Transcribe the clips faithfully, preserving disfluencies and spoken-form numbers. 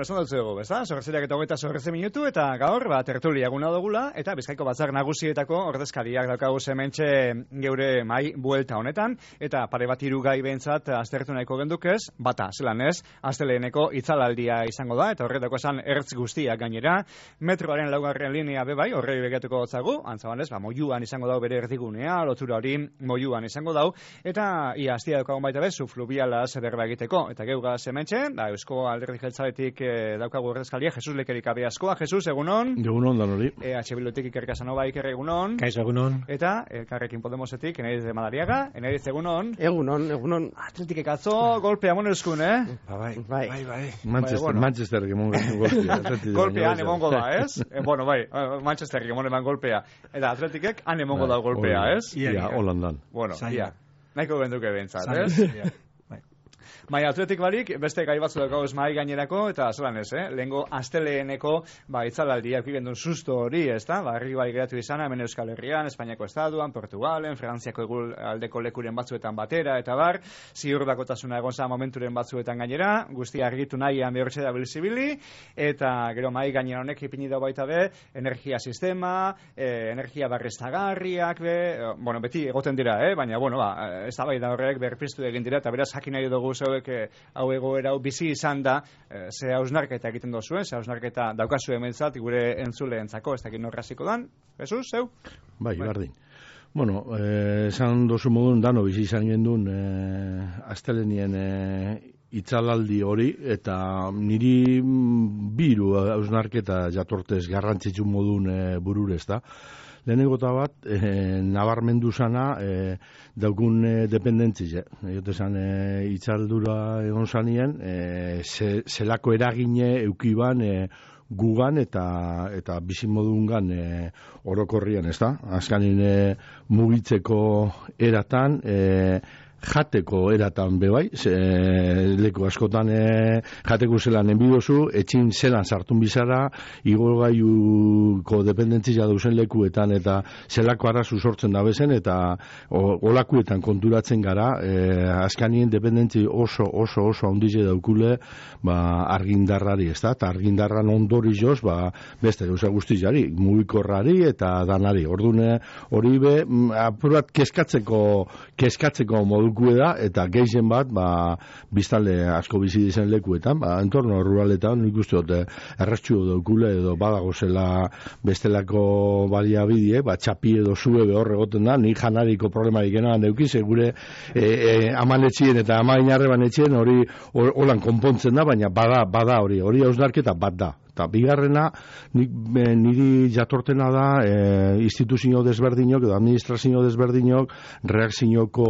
esan dut zugu, ez da? Zortzirak eta hogeita zortzi minutu, eta gaur, ba, tertulia eguna dugula, eta Bizkaiko batzar nagusietako ordezkariak daukagu hementxe geure mai buelta honetan, eta pare bat hiru gai behintzat aztertu nahiko gendukez, bata, zelan ez, asteleheneko itzalaldia izango da, eta horretako esan ertz guztiak gainera, metroaren laugarren linea bebai, horrei begatuko gotzagu, antzabanez, ba, moiuan izango dau bere erdigunea, lotura hori moiuan izango dau, eta ia hastia daukagun baita bezu fluviala berba egiteko, eta geuga hementxe, da, Eusko Alderdi Jeltzaletik eh, daukagu ordezkaria, Jesus Lekerik abiazkoa. Jesus, egunon. Egunon, dan hori. E H Bildutik Iker Casanova, Iker, egunon. Kaixo, egunon. Eta Elkarrekin Podemosetik, Enaiz de Madariaga, Enaiz, egunon. Egunon, egunon. Atletik ekatzo, golpea monezkun, eh? Ba, bai, bai, bai, bai. Manchester, bueno. Manchester, que mongo golpea. Golpea, han emongo da, ez? E, bueno, bai, Manchester, que moneman golpea. Eta Atletikek, han emongo da golpea, ez? Ia, Holandan. Bueno, ia. Nahiko benduke bentsat, ez? Bai, atletik barik, beste gai batzu daukagu mahai gainerako, eta zelan ez, eh? Lehengo asteleeneko, ba, itzalaldia eukigendun susto hori, ez da? Ba, herri bai geratu izana, hemen Euskal Herrian, Espainiako Estaduan, Portugalen, Frantziako egul aldeko lekuren batzuetan batera, eta bar, ziur bakotasuna egon za momenturen batzuetan gainera, guztia argitu nahian behortxe da bilzibili, eta gero mahai gainera honek ipini da baita be, energia sistema, eh, energia barreztagarriak be, eh, bueno, beti egoten dira, eh? Baina, bueno, ba, ez da bai da horrek berpiztu egin dira, eta beraz jakin nahi dugu zeu que hau egoera hau bizi izan da, e, ze hausnarketa egiten dozuen, ze hausnarketa daukazu hementzat gure entzuleentzako, ez dakit norraziko dan, Jesus, zeu? Bai, bardin. Bueno, eh, esan dozu modun dano bizi izan gendun eh, astelenien eh, itzalaldi hori, eta niri biru hausnarketa jatortez garrantzitsu modun eh, bururez da. Lehenengo eta bat, eh, nabarmendu zana eh, daukun eh, dependentziz. Eh. Egote zan, eh, itzaldura egon zanien, eh, ze, zelako eragine eukiban eh, gugan eta eta bizimodungan eh, orokorrian, ez da? Azkanin eh, mugitzeko eratan, eh, jateko eratan bebai, ze, leku askotan e, jateko zelan enbidozu, etxin zelan sartun bizara, igorgaiuko dependentzia dauzen lekuetan eta zelako arazu sortzen da bezen, eta o, olakuetan konturatzen gara, e, azkanien dependentzi oso, oso, oso handize daukule ba, argindarrari, ez da? Eta argindarran ondori joz, ba, beste, gauza guztizari, mugikorrari eta danari. Ordune hori be, apurat keskatzeko, keskatzeko modu da, eta gehien bat, ba, biztanle asko bizi dizen lekuetan, ba, entorno ruraletan, nik uste dut, errastxu daukule, edo badago zela bestelako baliabidie, ba, txapi edo zue behor egoten da, nik janariko problemarik enan deukiz, gure e, e, amanetxien eta amainarreban etxien hori holan konpontzen da, baina bada, bada hori, hori hausnarketa bat da. Eta bigarrena, nik, e, niri jatortena da e, instituzio desberdinok edo administrazio desberdinok reakzioko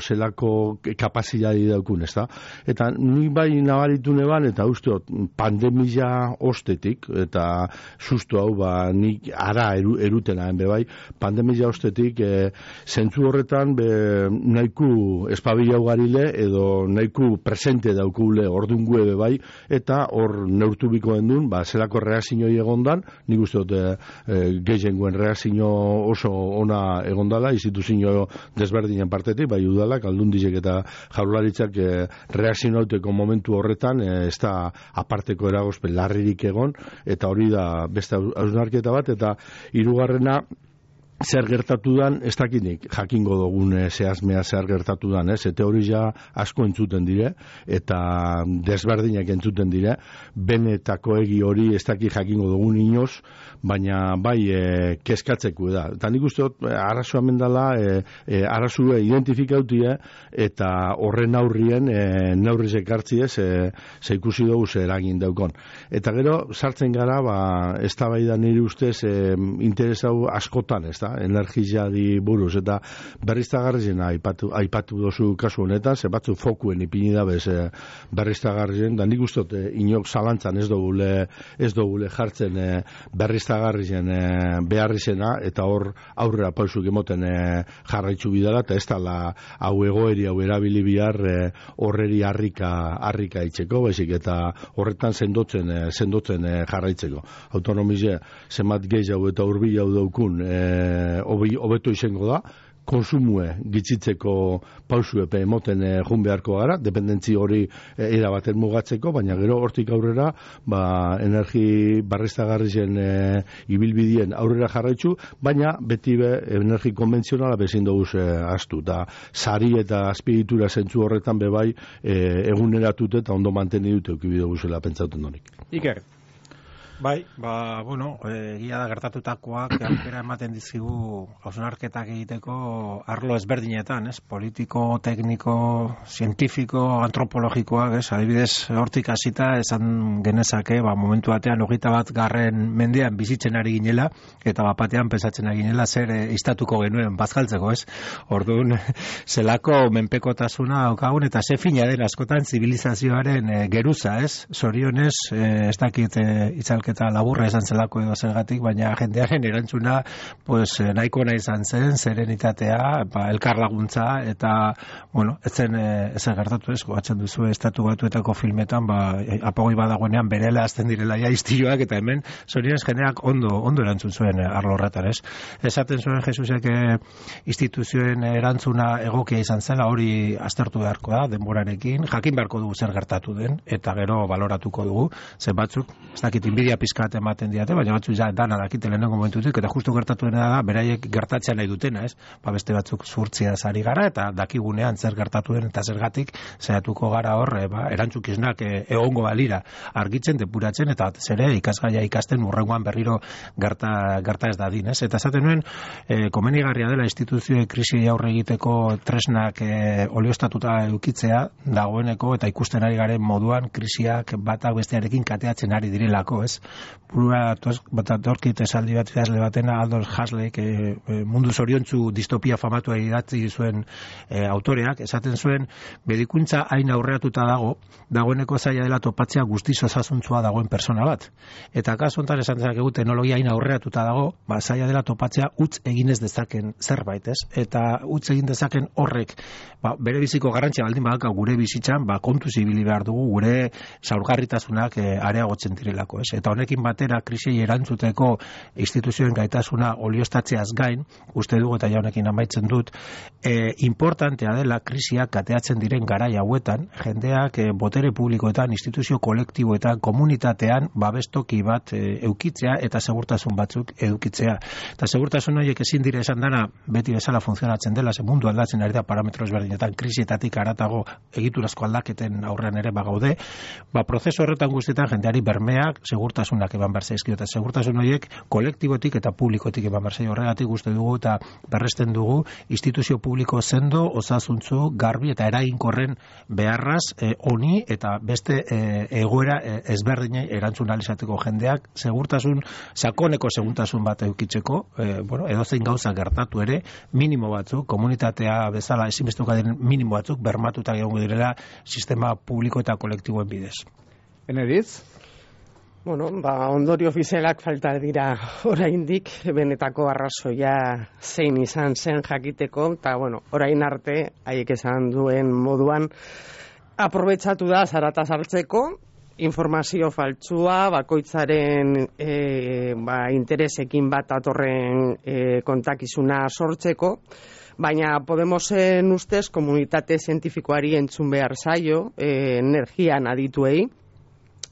zelako kapazidadi daukun, ez da? Eta nik bai nabaritu neban, eta usteot, pandemia ostetik, eta susto hau, ba, nik ara eru, erutena, be bai, pandemia ostetik, e, zentzu horretan, be, nahiku espabila ugarile, edo nahiku presente daukule ordungue be bai, eta hor neurtu bikoen duen, ba, zelako reakzioi egondan, nik uste dut e, gehiengoen reakzio oso ona egondala, instituzio desberdinen partetik, bai udalak, aldundizek eta jaurlaritzak e, reakzio nauteko momentu horretan, e, ez da aparteko eragozpen larririk egon, eta hori da beste hausnarketa bat, eta hirugarrena, zer gertatu dan, ez dakinik jakingo dugun e, zehazmea zer gertatu dan, ez? Eta hori ja asko entzuten dire, eta desberdinak entzuten dire, benetako egi hori ez dakik jakingo dugun inoz, baina bai e, keskatzeko da. Eta nik uste dut, arazoa mendala, e, e, arazue identifikautie, eta horren aurrien e, neurriz ekartziez, e, ze ikusi dugu zer eragin daukon. Eta gero, sartzen gara, ba, ez da bai da niri ustez, e, interesau askotan, ez da? Energiari buruz, eta berriztagarrien aipatu, aipatu dozu kasu honetan, ze batzu fokuen ipini da bez e, berriztagarrien, da nik ustot e, inok zalantzan ez dugule, ez dugule jartzen e, berriztagarrien e, beharrizena, eta hor aurrera pausuk emoten e, jarraitzu bidala, eta ez dala hau egoeri, hau erabili bihar e, horreri harrika, harrika itxeko, baizik, eta horretan sendotzen, e, sendotzen e, jarraitzeko. Autonomize, zenbat gehiago eta hurbil hau daukun, e, hobeto izango da, konsumue gitzitzeko pausu epe emoten e, jun beharko gara, dependentzi hori e, era baten mugatzeko, baina gero hortik aurrera ba, energi barriztagarrien e, ibilbidien aurrera jarraitzu, baina beti be energi konbentzionala bezin dugu e, astu, da sari eta azpiegitura zentzu horretan bebai e, eguneratut eta ondo manteni dute eukibi dugu zela pentsauten honik. Iker. Bai, ba, bueno, egia da gertatutakoak aukera ematen dizkigu hausnarketak egiteko arlo ezberdinetan, ez? Politiko, tekniko, zientifiko, antropologikoak, ez? Adibidez, hortik hasita esan genezake, ba, momentu batean hogeita bat garren mendean bizitzen ari ginela, eta bapatean pensatzen ari ginela zer e, istatuko genuen bazkaltzeko, ez? Orduan, zelako menpekotasuna daukagun, eta ze fina den askotan zibilizazioaren e, geruza, ez? Zorionez, e, ez dakit e, itzalk eta laburra esan zelako edo zergatik, baina jendearen erantzuna pues, nahiko nahi izan zen, serenitatea, ba, elkar laguntza, eta, bueno, etzen ezen gertatu ez, goatzen duzu estatu batuetako filmetan, ba, apagoi badagoenean berela azten direla ja istiluak, eta hemen, zorionez jendeak ondo, ondo erantzun zuen arlo horretan, ez? Esaten zuen Jesusek instituzioen erantzuna egokia izan zela, hori aztertu beharko da, denborarekin, jakin beharko dugu zer gertatu den, eta gero baloratuko dugu, zen batzuk, ez dakit inbidia pizkat ematen diate, baina batzu ja dana dakite lehenengo momentutik, eta justu gertatu dena da, beraiek gertatzea nahi dutena, ez? Ba beste batzuk zuhurtzia ari gara, eta dakigunean zer gertatu den, eta zergatik saiatuko gara hor, e, ba, erantzukiznak e, egongo balira argitzen, depuratzen, eta zere ikasgaia ikasten urrengoan berriro gerta, gerta ez dadin, ez? Eta esaten nuen, e, komenigarria dela instituzioe krisi aurre egiteko tresnak e, oliostatuta edukitzea, dagoeneko, eta ikusten ari garen moduan, krisiak batak bestearekin kateatzen ari direlako, ez? Burua bat atorkit esaldi bat idazle batena Aldous Huxley e, e, mundu zoriontzu distopia famatua idatzi zuen e, autoreak, esaten zuen medikuntza hain aurreatuta dago, dagoeneko zaila dela topatzea guztiz osasuntzua dagoen persona bat. Eta kasu honetan esan dezakegu teknologia hain aurreatuta dago, ba zaila dela topatzea utz eginez dezaken zerbait, ez? Eta utz egin dezaken horrek, ba, bere biziko garrantzia baldin badaka gure bizitzan, ba kontuz ibili behar dugu gure zaurgarritasunak e, areagotzen direlako, ez? Eta honekin batera krisiei erantzuteko instituzioen gaitasuna oliostatzeaz gain, uste dugu eta jaunekin amaitzen dut, e, importantea dela krisiak kateatzen diren garai hauetan, jendeak e, botere publikoetan, instituzio kolektiboetan, komunitatean babestoki bat e, eukitzea eta segurtasun batzuk edukitzea. Eta segurtasun horiek ezin dire esan dana beti bezala funtzionatzen dela, ze mundu aldatzen ari da parametro ezberdinetan, krisietatik haratago egiturazko aldaketen aurrean ere bagaude, ba prozesu horretan guztietan jendeari bermeak, segurtasunak eban behar zaizkio, eta segurtasun horiek kolektibotik eta publikotik eban behar zaizkio, horregatik uste dugu eta berresten dugu instituzio publiko sendo, osasuntzu, garbi eta eraginkorren beharraz e, honi eta beste e, egoera e, ezberdinei erantzun ahal izateko jendeak, segurtasun, sakoneko segurtasun bat eukitzeko, e, bueno, edozein gauza gertatu ere, minimo batzuk, komunitatea bezala ezinbestekoa den minimo batzuk, bermatuta egongo direla sistema publiko eta kolektiboen bidez. Beneditz? Bueno, ba, ondorio ofizialak falta dira oraindik, benetako arrazoia zein izan zen jakiteko, eta bueno, orain arte, haiek esan duen moduan, aprobetsatu da zarata sartzeko, informazio faltsua, bakoitzaren e, ba, interesekin bat atorren e, kontakizuna sortzeko, baina Podemosen ustez komunitate zientifikoari entzun behar zaio, e, energian adituei,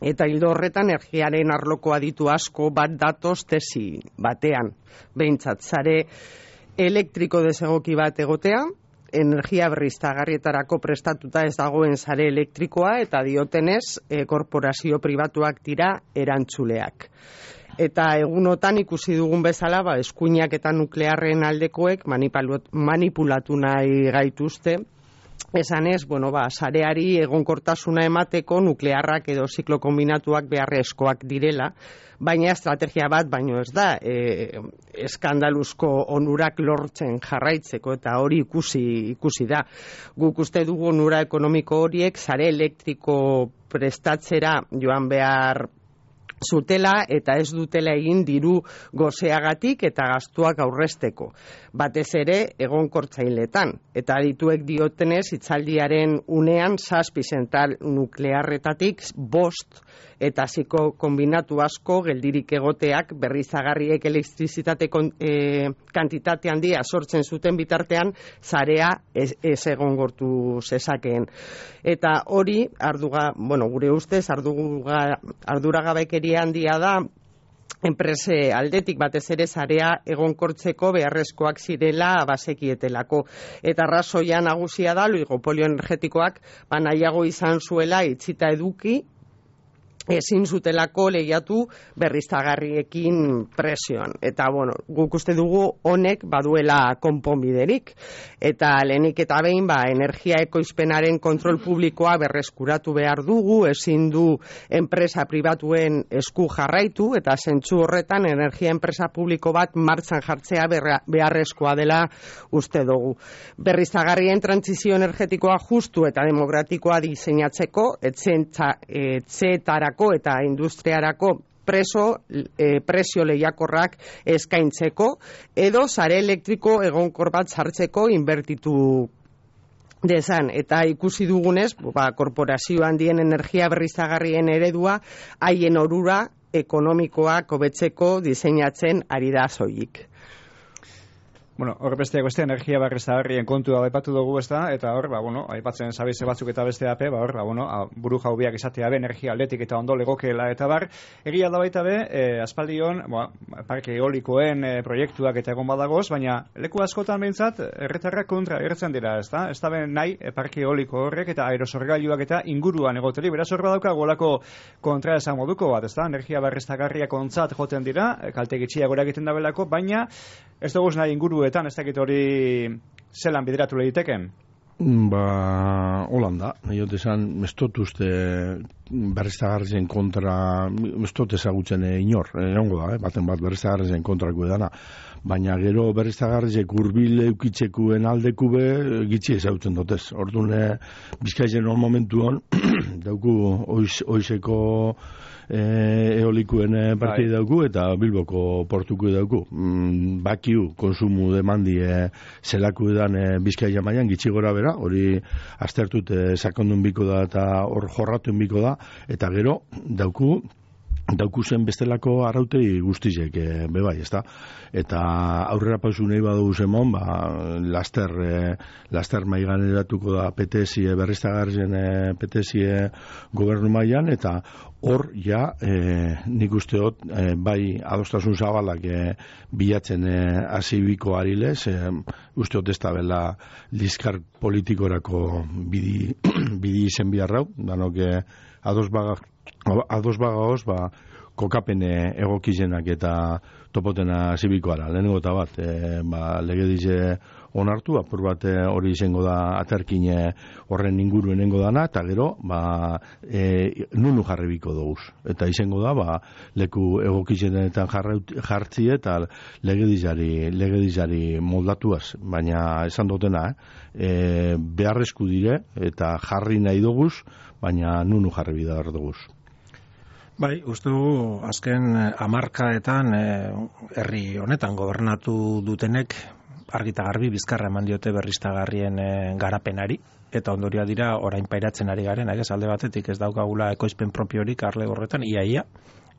eta hildo horretan energiaren arloko aditu asko bat datoz tesi batean. Behintzat, sare elektriko desegoki bat egotea, energia berriztagarrietarako prestatuta ez dagoen sare elektrikoa, eta diotenez, e, korporazio pribatuak dira erantzuleak. Eta egunotan ikusi dugun bezala, ba, eskuinak eta nuklearren aldekoek manipulatu nahi gaituzte, esanez, bueno, ba, sareari egonkortasuna emateko nuklearrak edo ziklo kombinatuak beharrezkoak direla, baina estrategia bat baino ez da, e, eskandaluzko onurak lortzen jarraitzeko, eta hori ikusi ikusi da. Guk uste dugu onura ekonomiko horiek sare elektriko prestatzera joan behar zutela eta ez dutela egin diru gozeagatik eta gastuak aurrezteko. Batez ere egonkortzailetan. Eta adituek diotenez hitzaldiaren unean zazpi zentral nuklearretatik bost eta ziko kombinatu asko geldirik egoteak berriztagarriek elektrizitate e, kantitate handia sortzen zuten bitartean zarea ez, ez egongortu zezakeen. Eta hori arduga, bueno, gure ustez arduga, arduragabekeria handia da enprese aldetik batez ere zarea egonkortzeko beharrezkoak zirela bazekietelako. Eta arrazoia nagusia da oligopolio energetikoak ba nahiago izan zuela itzita eduki ezin zutelako lehiatu berriztagarriekin presioan. Eta, bueno, guk uste dugu honek baduela konponbiderik. Eta lehenik eta behin, ba, energia ekoizpenaren kontrol publikoa berreskuratu behar dugu, ezin du enpresa pribatuen esku jarraitu, eta zentzu horretan energia enpresa publiko bat martxan jartzea beharrezkoa dela uste dugu. Berriztagarrien trantsizio energetikoa justu eta demokratikoa diseinatzeko, etxeetarako eta industriarako preso, e, presio lehiakorrak eskaintzeko edo sare elektriko egonkor bat sartzeko inbertitu dezan. Eta ikusi dugunez, ba, korporazio handien energia berriztagarrien eredua haien orura ekonomikoak hobetzeko diseinatzen ari da soilik. Bueno, hor besteak beste energia berriztagarrien kontua aipatu dugu, ezta, eta hor, ba, bueno, aipatzen zabize batzuk eta beste ape, ba, hor, ba, bueno, buru jaubiak izatea be, energia aldetik eta ondo legokeela eta bar, egia da baita be, eh, aspaldion, ba, parke eolikoen eh, proiektuak eta egon badagoz, baina leku askotan behintzat, erretarrak kontra erretzen dira, ezta, ez da ben nahi, eh, parke eoliko horrek eta aerosorgailuak eta inguruan egoteli, beraz hor badauka golako kontra esan moduko bat, ezta, energia berriztagarriak ontzat joten dira, kalte gitxia gora egiten dabelako, baina ez dugu nahi inguruetan, ez dakit hori zelan bideratu lehiteken? Ba, Holanda, nahi esan, mestot uste berriztagarrien kontra, mestot ezagutzen e, inor, egongo da, eh? baten bat berriztagarrien kontrako edana, baina gero berriztagarriek urbil eukitzekuen aldeku be, gitxi ezagutzen dotez. Orduan, Bizkaizen hor momentuan, dauku oiz, oizeko E, eolikuen partei dauku eta Bilboko portuko dauku. Mm, bakiu konsumu demandi e, zelaku edan e, Bizkaia mailan gitxi gora bera, hori aztertut e, sakondun biko da eta hor jorratuen biko da, eta gero dauku daukuzen bestelako arautei guztizek e, bebai, ezta? Eta aurrera pausu nahi badugu zemon, ba, laster, e, laster maigan eratuko da P T S I berriztagarrien e, P T S I gobernu mailan, eta hor ja e, nik usteot e, bai adostasun zabalak e, bilatzen hasi e, biko arilez, e, usteot ez da bela liskar politikorako bidi, bidi izen biharrau, danok e, ados baga ados bagaoz, ba, kokapene egokizenak eta topotena zibikoara. Lehenengo eta bat, e, ba, legedize onartu, apur bat hori izango da aterkine horren inguruen nengo dana, eta gero, ba, e, nunu jarribiko doguz. Eta izango da, ba, leku egokizenetan jartzi eta legedizari, legedizari moldatuaz, baina esan dutena, eh? E, beharrezku dire, eta jarri nahi doguz, baina nunu jarri bidar doguz. Bai, uste dugu azken hamarkadetan herri honetan gobernatu dutenek argita garbi bizkarra eman diote berriztagarrien garapenari, eta ondorioa dira orain pairatzen ari garen, ez alde batetik ez daukagula ekoizpen propiorik arle horretan, iaia,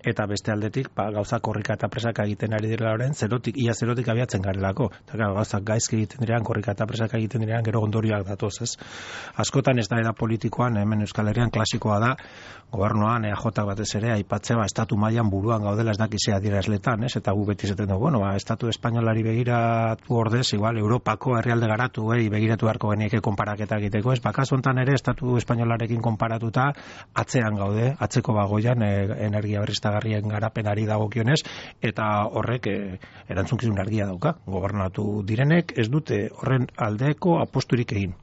eta beste aldetik ba, gauzak korrika eta presaka egiten ari direla orain, zerotik, ia zerotik abiatzen garelako. Eta gauzak gaizki egiten direan, korrika eta presaka egiten direan, gero ondorioak datoz, ez? Askotan ez da eda politikoan, hemen Euskal Herrian klasikoa da, gobernuan, E A J batez ere, aipatzea, ba, estatu mailan buruan gaudela ez dakizea adierazletan, ez? Eta gu beti zaten dugu, bueno, ba, estatu espainolari begiratu ordez, igual, Europako herrialde garatu, eh, begiratu beharko genieke konparaketa egiteko, ez? Bakazu hontan ere, estatu espainolarekin konparatuta, atzean gaude, atzeko bagoian, e, energia berriztagarrien garapenari dagokionez, eta horrek e, erantzunkizun argia dauka. Gobernatu direnek ez dute horren aldeko aposturik egin.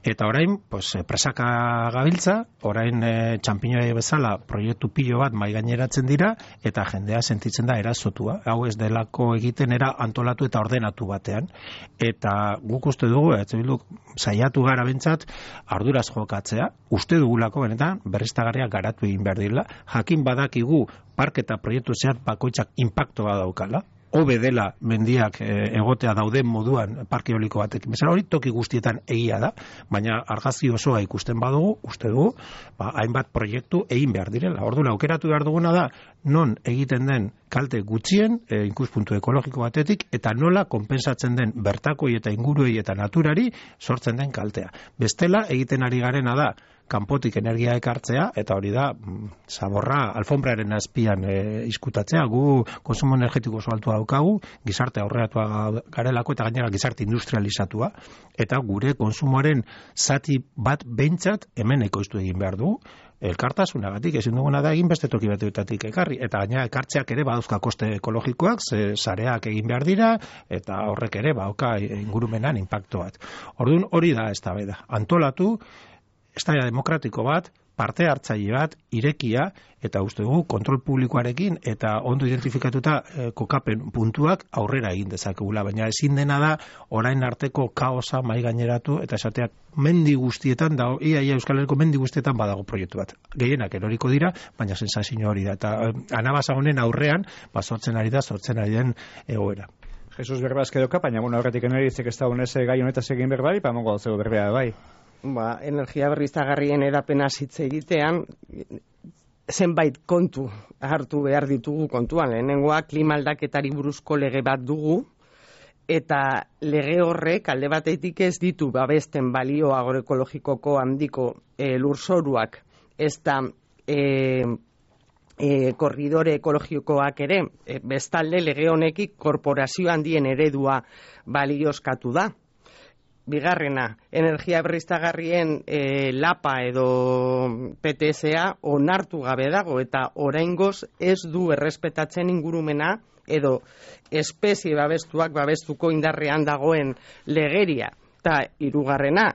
Eta orain, pues, presaka gabiltza, orain e, txampiñoi bezala proiektu pilo bat mai gaineratzen dira, eta jendea sentitzen da erasotua. Hau ez delako egiten era antolatu eta ordenatu batean. Eta guk uste dugu, eh Bilduk saiatu gara bentsat arduraz jokatzea, uste dugulako benetan berriztagarriak garatu egin behar direla, jakin badakigu parke eta proiektu zehat bakoitzak inpakto bat daukala, hobe dela mendiak e, egotea dauden moduan parke eoliko batekin. Bezala hori toki guztietan egia da, baina argazki osoa ikusten badugu, uste dugu, ba, hainbat proiektu egin behar direla. Orduan aukeratu behar duguna da, non egiten den kalte gutxien, e, ikuspuntu ekologiko batetik, eta nola konpensatzen den bertakoi eta inguruei eta naturari sortzen den kaltea. Bestela egiten ari garena da, kanpotik energia ekartzea, eta hori da, zaborra alfonbraren azpian e, izkutatzea, gu konsumo energetiko oso altua daukagu, gizarte aurreratua garelako, eta gainera gizarte industrializatua, eta gure konsumoaren zati bat behintzat hemen ekoiztu egin behar du, elkartasunagatik, ezin duguna da egin beste toki batetatik ekarri, eta gainera ekartzeak ere badauzka koste ekologikoak, ze sareak egin behar dira, eta horrek ere bauka ingurumenan inpaktu bat. Orduan hori da eztabaida. Antolatu, eztabaida demokratiko bat, parte hartzaile bat, irekia, eta uste dugu kontrol publikoarekin eta ondo identifikatuta e, kokapen puntuak aurrera egin dezakegula, baina ezin dena da orain arteko kaosa mai gaineratu eta esateak mendi guztietan da, ia ia Euskal Herriko mendi guztietan badago proiektu bat. Gehienak eroriko dira, baina sensazio hori da, eta e, anabasa honen aurrean, ba, sortzen ari da, sortzen ari den egoera. Jesus berbazke doka, baina bueno, horretik eneritzik ez da honez gai honetaz egin berbari, pa mongo zego berbea bai. Ba, energia berriztagarrien edapena hitz egitean zenbait kontu hartu behar ditugu kontuan. Lehenengoa klima aldaketari buruzko lege bat dugu, eta lege horrek alde batetik ez ditu babesten balio agroekologikoko handiko e, lurzoruak, ez da e, e, korridore ekologikoak ere, e, bestalde lege honekik korporazio handien eredua balioskatu da. Bigarrena, energia berriztagarrien e, lapa edo P T S-a onartu gabe dago eta oraingoz ez du errespetatzen ingurumena edo espezie babestuak babestuko indarrean dagoen legeria. Ta hirugarrena,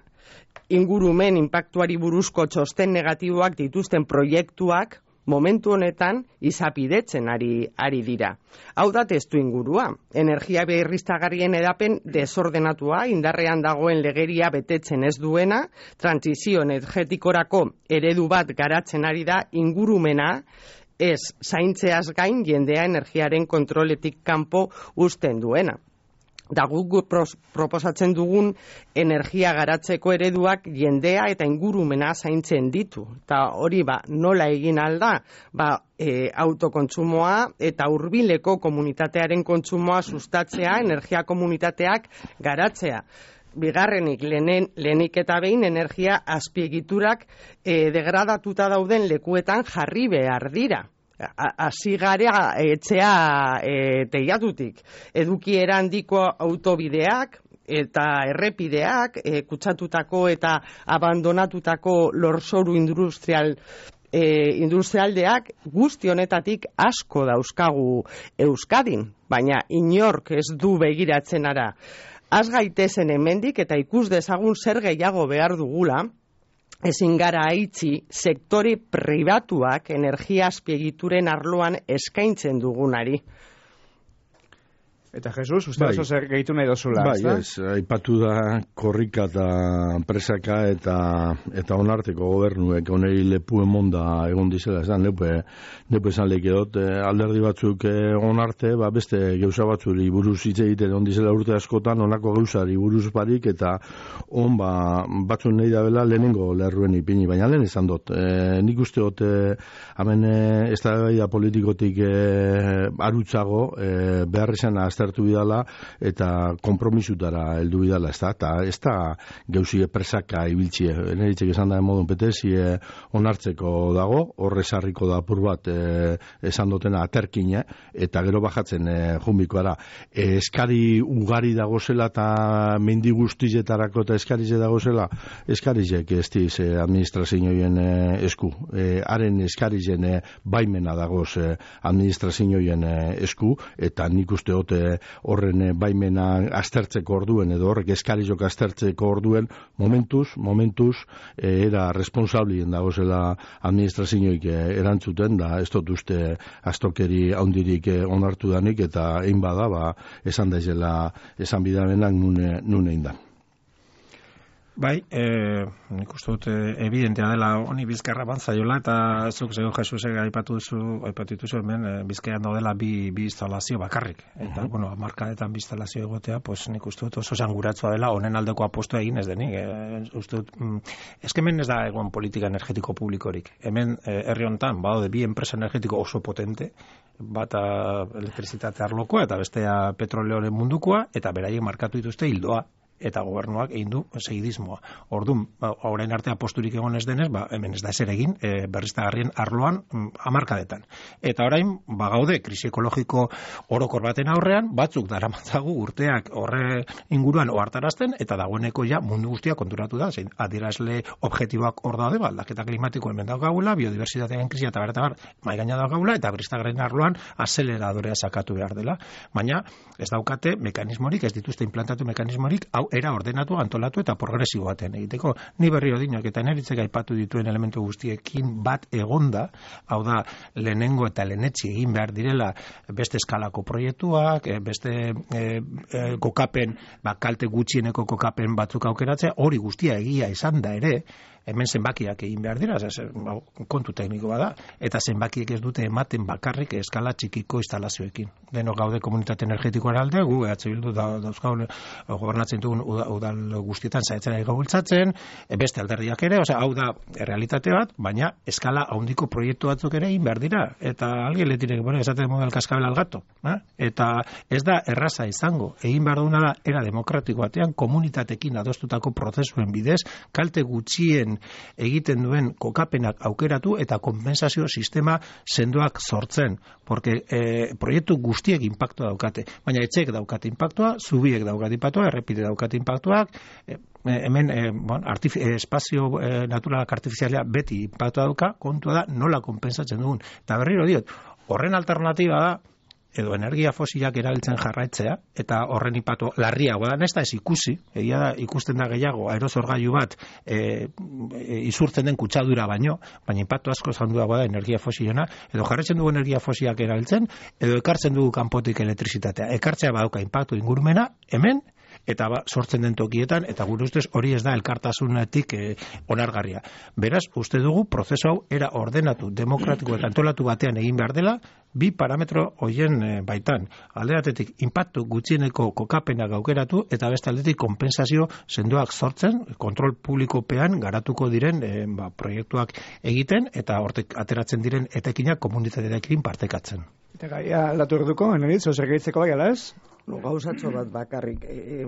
ingurumen inpaktuari buruzko txosten negatiboak dituzten proiektuak momentu honetan izapidetzen ari, ari dira. Hau da testu ingurua. Energia berriztagarrien edapen desordenatua, indarrean dagoen legeria betetzen ez duena, trantsizio energetikorako eredu bat garatzen ari da ingurumena, ez zaintzeaz gain jendea energiaren kontroletik kanpo uzten duena. Da guk proposatzen dugun energia garatzeko ereduak jendea eta ingurumena zaintzen ditu. Eta hori ba, nola egin alda, ba, e, autokontsumoa eta hurbileko komunitatearen kontsumoa sustatzea, energia komunitateak garatzea. Bigarrenik, lehenen, lehenik eta behin energia azpiegiturak e, degradatuta dauden lekuetan jarri behar dira. Hasi garea etxea e, teiatutik. Edukiera handiko autobideak eta errepideak, e, kutsatutako eta abandonatutako lurzoru industrial e, industrialdeak guzti honetatik asko dauzkagu Euskadin, baina inork ez du begiratzen ara. Az gaitezen hemendik eta ikus dezagun zer gehiago behar dugula, ezin gara haitzi sektore pribatuak energia azpiegituren arloan eskaintzen dugunari. Eta Jesus, uste oso zer gehitu nahi dozula, bai, ez, aipatu da korrika eta presaka eta eta onarteko gobernuek oneri lepu emonda egon dizela, esan lepe, lepe esan lekedot, alderdi batzuk onarte, ba beste gauza batzuri buruz hitz egiten on dizela urte askotan, onako gauzari buruz barik, eta on ba, batzun nahi da bela lehenengo lerruen ipini, baina lehen esan dut, e, nik uste dut, e, hemen ez da gaia politikotik e, arutzago, e, behar izan aztertu bidala eta kompromisutara heldu bidala, ez da, eta ez da gauzie presaka ibiltzie, neritzek esan da modun petezie onartzeko dago, horre sarriko da apur bat e, esan dutena aterkine, eta gero bajatzen e, jumbikoara. E, eskari ugari dagozela eta mendi guztizetarako eta eskarize dagozela, eskarizek ez diz e, administrazioen e, esku, e, haren eskarizen e, baimena dagoz e, administrazioen e, esku, eta nik uste hote horren baimena aztertzeko orduen, edo horrek eskarizok aztertzeko orduen, momentuz, momentuz, e, era responsablien dagozela administrazioik e, erantzuten, da ez dut uste astokeri haundirik e, onartu danik, eta egin bada, ba, esan daizela, esan bidamenak nune, nune indan. Bai, eh, nik uste dut evidentea dela honi bizkarra bantzaiola, eta zuk zego Jesusek aipatu duzu, aipatu duzu hemen, e, Bizkaian daudela bi, bi instalazio bakarrik. Eta, uh-huh. bueno, markadetan bi instalazio egotea, pues nik uste dut oso sanguratzua dela, honen aldeko apostua egin ez denik. E, uste dut, mm, eskemen ez da egon politika energetiko publikorik. Hemen, e, herri honetan, badaude bi enpresa energetiko oso potente, bata elektrizitate arlokoa, eta bestea petroleoren mundukoa, eta beraiek markatu dituzte hildoa. Eta gobernuak egin du segidismoa. Orduan, orain arte aposturik egon ez denez, ba, hemen ez da ezer egin, e, berriztagarrien arloan hamarkadetan. Eta orain, ba, gaude, krisi ekologiko orokor baten aurrean, batzuk daramatzagu urteak horre inguruan ohartarazten, eta dagoeneko ja mundu guztia konturatu da, zein adierazle objektiboak hor daude, ba, aldaketa klimatiko hemen daukagula, biodiversitatearen krisia eta bar eta bar, mai gaina daukagula, eta berriztagarrien arloan azeleradorea sakatu behar dela. Baina, ez daukate mekanismorik, ez dituzte implantatu mekanismorik, hau era ordenatu, antolatu eta progresibo baten egiteko. Ni berriro dinak eta neritzek aipatu dituen elementu guztiekin bat egonda, hau da, lehenengo eta lehenetzi egin behar direla beste eskalako proiektuak, beste e, e, kokapen, ba, kalte gutxieneko kokapen batzuk aukeratzea, hori guztia egia izan da ere, hemen zenbakiak egin behar dira, ez, kontu tekniko bada, eta zenbakiek ez dute ematen bakarrik eskala txikiko instalazioekin. Denok gaude komunitate energetikoan alde, gu, E H Bildu da, dauzkaun gobernatzen dugun udal guztietan zaitzen ari gabultzatzen, beste alderdiak ere, osea, hau da realitate bat, baina eskala handiko proiektu batzuk ere egin behar dira, eta alguien letirek, bueno, esaten model kaskabel al gato, eh? Eta ez da erraza izango, egin behar duna da, era demokratiko batean, komunitatekin adostutako prozesuen bidez, kalte gutxien egiten duen kokapenak aukeratu eta kompensazio sistema sendoak sortzen, porque eh, proiektu guztiek inpaktua daukate, baina etxeek daukate inpaktua, zubiek daukate inpaktua, errepide daukate inpaktuak, eh, hemen eh, bon, artif- eh, espazio eh, naturalak artifizialea beti inpaktua dauka, kontua da nola konpensatzen dugun. Eta berriro diot, horren alternatiba da, edo energia fosilak erabiltzen jarraitzea, eta horren impactu larriago da, ez da ez ikusi, egia da ikusten da gehiago aerosorgailu bat e, e, izurtzen den kutsadura baino, baina impactu asko zanduago da energia fosilena, edo jarraitzen dugu energia fosilak erabiltzen, edo ekartzen dugu kanpotik elektrizitatea. Ekartzea badauka impactu ingurumena, hemen, eta ba, sortzen den tokietan, eta gure ustez hori ez da elkartasunetik eh, onargarria. Beraz, uste dugu, prozesu hau era ordenatu, demokratiko eta antolatu batean egin behar dela, bi parametro hoien eh, baitan. Alde batetik, inpaktu gutxieneko kokapenak aukeratu, eta beste aldetik, kompensazio sendoak sortzen, kontrol publikopean garatuko diren eh, ba, proiektuak egiten, eta hortek ateratzen diren etekinak komunitatearekin partekatzen. Eta gaia aldatu erduko, eneritz, ozer gehitzeko bai, ala ez? No, gauzatxo bat bakarrik. E, e,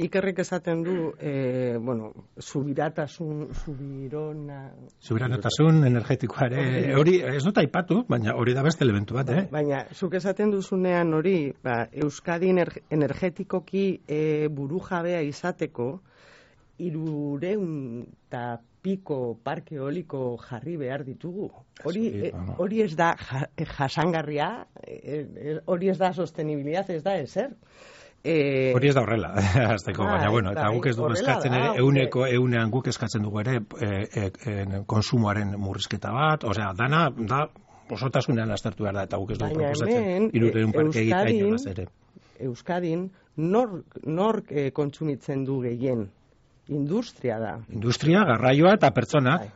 ikerrik esaten du, e, bueno, subiratasun, subirona... Subiranotasun energetikoare, hori ez dut aipatu, baina hori da beste elementu bat, eh? Baina, zuk esaten duzunean hori, ba, Euskadi energetikoki e, burujabea izateko, irureun eta piko parke eoliko jarri behar ditugu. Hori, eh, hori ez da jasangarria, eh, hori ez da sostenibilidad, ez da ezer. Eh, hori ez da horrela, azteko, ah, baina bueno, eta guk ez dugu eskatzen ere, euneko eunean guk eskatzen dugu ere eh, eh, eh, konsumoaren murrizketa bat, osea, dana, da, osotasunean aztertu behar da, eta guk ez dugu proposatzen, irureun parke egitaino ere. Euskadin, nor, nor eh, kontsumitzen du gehien? Industria da. Industria, garraioa eta pertsona. Bai.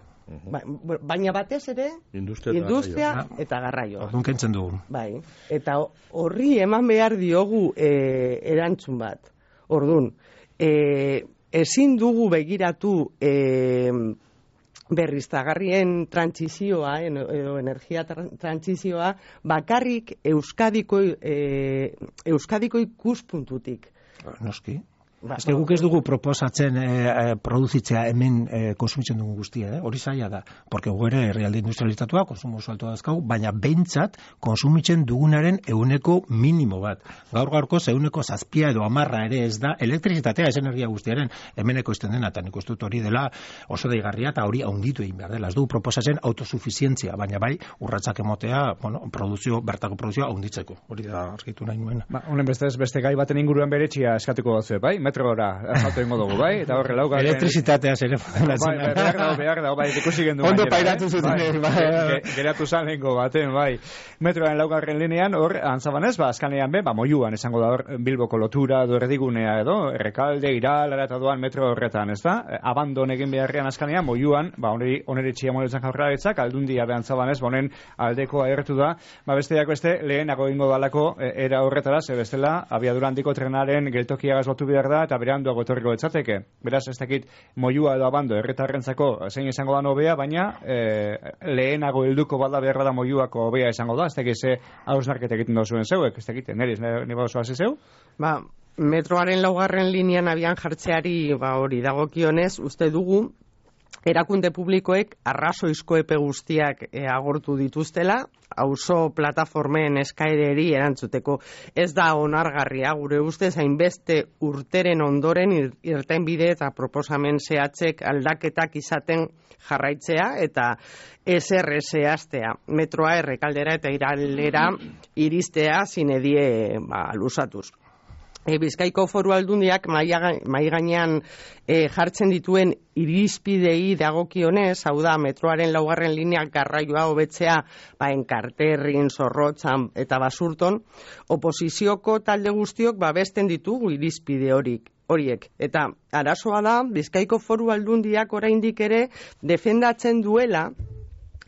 Ba, baina batez ere, industria, industria eta garraioa. Orduan kentzen dugu. Bai. Eta horri eman behar diogu e, erantzun bat. Orduan, e, ezin dugu begiratu e, berriztagarrien trantsizioa, edo energia trantsizioa, bakarrik Euskadiko, e, Euskadiko ikuspuntutik. Noski. Ez guk ez dugu proposatzen e, produzitzea hemen e, konsumitzen dugu guztia, eh? Hori zaila da, porque gu ere herrialde industrializatua, konsumo oso altua dazkagu, baina behintzat konsumitzen dugunaren euneko minimo bat. Gaur gaurko euneko zazpia edo amarra ere ez da, elektrizitatea ez energia guztiaren hemeneko izten dena, eta nik uste dut hori dela oso deigarria eta hori haunditu egin behar dela. Ez dugu proposatzen autosuficientzia, baina bai urratsak emotea, bueno, produzio, bertako produzioa haunditzeko. Hori da argitu nahi nuen. Ba, honen beste ez beste gai baten inguruan beretxia eskatuko dut, bai? Metrora azaltu ingo dugu, bai? Eta horre laugarren... Elektrizitatea zer bai, behar dago, behar dago, bai, ikusi gendu. Ondo pairatu zuten, bai. Geratu zan lehenko baten, bai. Metroaren laugarren linean, hor, antzabanez, ba, azkanean be, ba, moiuan, esango da hor, Bilboko lotura, do erdigunea edo, Errekalde, Iralara eta doan metro horretan, ez da? Abandon egin beharrean azkanean, moiuan, ba, oneri txia moletzen jaurlaritzak, aldundia be antzabanez, bonen aldeko agertu da, ba, besteak beste, lehenago ingo dalako, era horretara, ze bestela, abiadura handiko trenaren geltokiagaz lotu behar da, eta beranduago etorriko etzateke. Beraz, ez dakit moiua edo abando erretarrentzako zein izango da nobea, baina e, lehenago helduko bada beharra da moiuako hobea izango da, ez dakit ze hausnarketa egiten dozuen zeuek, ez dakit, neriz, nire oso hasi zeu? Ba, metroaren laugarren linean abian jartzeari, ba, hori dagokionez, uste dugu, erakunde publikoek arrazoizko epe guztiak e, agortu dituztela, auzo plataformen eskaereri erantzuteko. Ez da onargarria gure ustez hainbeste urteren ondoren ir, irtenbide eta proposamen zehatzek aldaketak izaten jarraitzea eta ezer zehaztea. Metroa Errekaldera eta Iralera iristea zinedie ba, lusatuz. E, Bizkaiko Foru Aldundiak mai gainean e, jartzen dituen irizpidei dagokionez, hau da, metroaren laugarren lineak garraioa hobetzea, ba, enkarterrin, zorrotzan eta basurton, oposizioko talde guztiok babesten ditugu irizpide horik. horiek. Eta arazoa da, Bizkaiko Foru Aldundiak oraindik ere defendatzen duela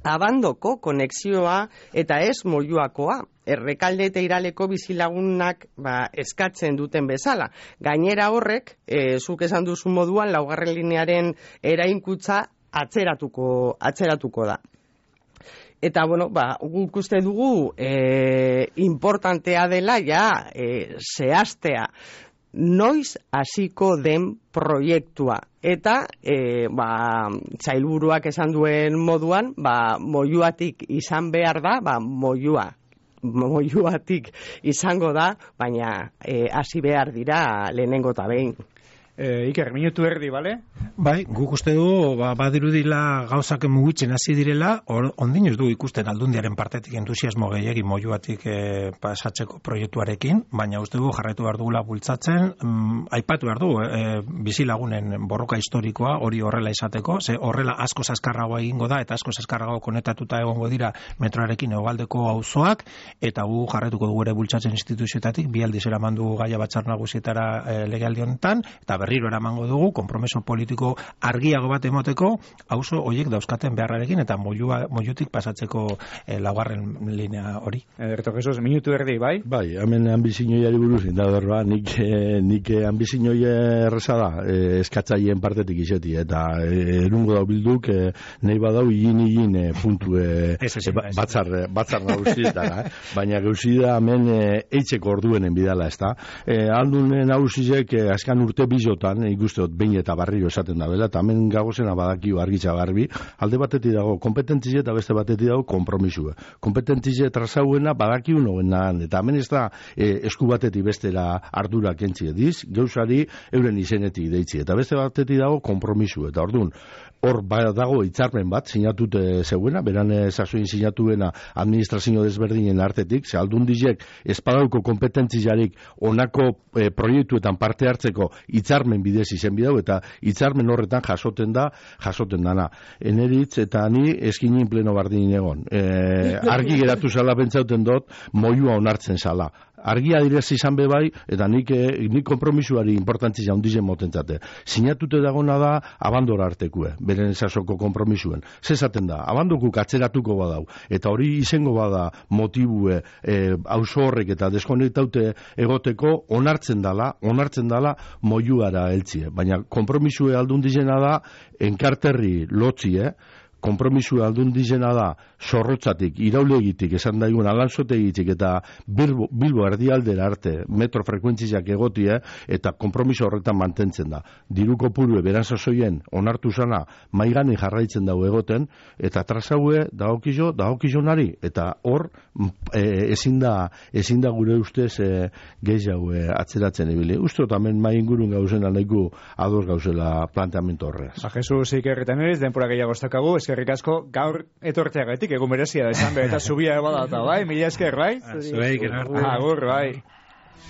Abandoko konexioa eta ez Moiuakoa. Errekalde eta Iraleko bizilagunak ba, eskatzen duten bezala. Gainera horrek, e, zuk esan duzu moduan, laugarren linearen erainkutza atzeratuko, atzeratuko da. Eta, bueno, ba, guk uste dugu e, importantea dela ja e, zehaztea noiz hasiko den proiektua. Eta, e, ba, zailburuak esan duen moduan, ba, Moiuatik izan behar da, ba, Moiua. Moiuatik izango da, baina e, hasi behar dira lehenengo eta behin. E, Iker, minutu erdi, bale? Bai, guk uste du, ba, badirudila gauzak mugitzen hasi direla, or, ondin ez du ikusten Aldundiaren partetik entusiasmo gehiegi Moiuatik e, pasatzeko proiektuarekin, baina uste du jarraitu behar dugula bultzatzen, mm, aipatu behar du, e, bizilagunen borroka historikoa hori horrela izateko, ze horrela asko azkarragoa egingo da, eta asko azkarragoa konetatuta egongo dira metroarekin hegoaldeko auzoak, eta gu jarraituko dugu ere bultzatzen instituzioetatik, bi aldiz eramandu gaia batzar nagusietara e, legealdi honetan, eta berriro eramango dugu, konpromeso politiko argiago bat emoteko, auzo horiek dauzkaten beharrarekin, eta moiua, moiutik pasatzeko eh, laugarren linea hori. Ederto, Jesus, minutu erdi, bai? Bai, hemen ambizinoiari buruz, da berroa, nik, eh, nik ambizinoi erreza da, eh, eskatzaien partetik izeti, eta eh, erungo dau bilduk, eh, nahi badau, igin igin eh, puntu eh, eh, batzar, batzar nagusietara, eh? Baina gauzi da hemen eh, eitzeko orduenen bidala, ez da? Eh, aldunen nausizek eh, askan urte bizo ikusteot behin eta barriro esaten da bela, eta hemen gagozena badakio argitza garbi, alde batetik dago kompetentzize eta beste batetik dago kompromisua. Kompetentzize trazauena badakiu noenan, eta hemen ez da e, esku batetik bestera ardura kentzi ediz, geusari euren izenetik deitzi, eta beste batetik dago kompromisu, eta orduan, hor dago hitzarmen bat, sinatute zeuena, beran ezazuin sinatuena administrazio desberdinen artetik, ze aldundizek espadauko kompetentziarik onako e, proiektuetan parte hartzeko hitzarmen bidez izen bidau, eta hitzarmen horretan jasoten da, jasoten dana. Eneritz eta ni eskinin pleno bardin egon. E, argi geratu zala bentsauten dut, Moiua onartzen zala. Argia direz izan be bai, eta nik, nik kompromisuari importantzia handizen motentzate. Sinatute dagona da, abandora artekue, beren esasoko kompromisuen. Zezaten da, abandokuk atzeratuko badau, eta hori izango bada motibue auzo horrek eta deskonektaute egoteko onartzen dala, onartzen dala Moiuara heltzie. Baina kompromisue aldundizena da, enkarterri lotzie, kompromisu aldun dizena da, zorrotzatik, iraulegitik, esan daigun, alanzotegitik, eta Bilbo, Bilbo erdialdera arte, metro frekuentziak egotie, eta kompromiso horretan mantentzen da. Diru kopurue, beranzazoien, onartu zana, maigani jarraitzen dago egoten, eta trazaue, dagokizo, dagokizonari, eta hor, e, ezin da, ezin da gure ustez e, gehiago e, atzeratzen ibili. Uste tamen mai ingurun gauzen alaiku ados gauzela planteamentu horreaz. Ba, Jesus, ikerretan eriz, denpura gehiago estakagu, eskerrik asko, gaur etorteagatik, egun berezia da, izan be, eta zubia ebada, eta bai, mila esker, bai? Zuei, gerartu. Agur, bai.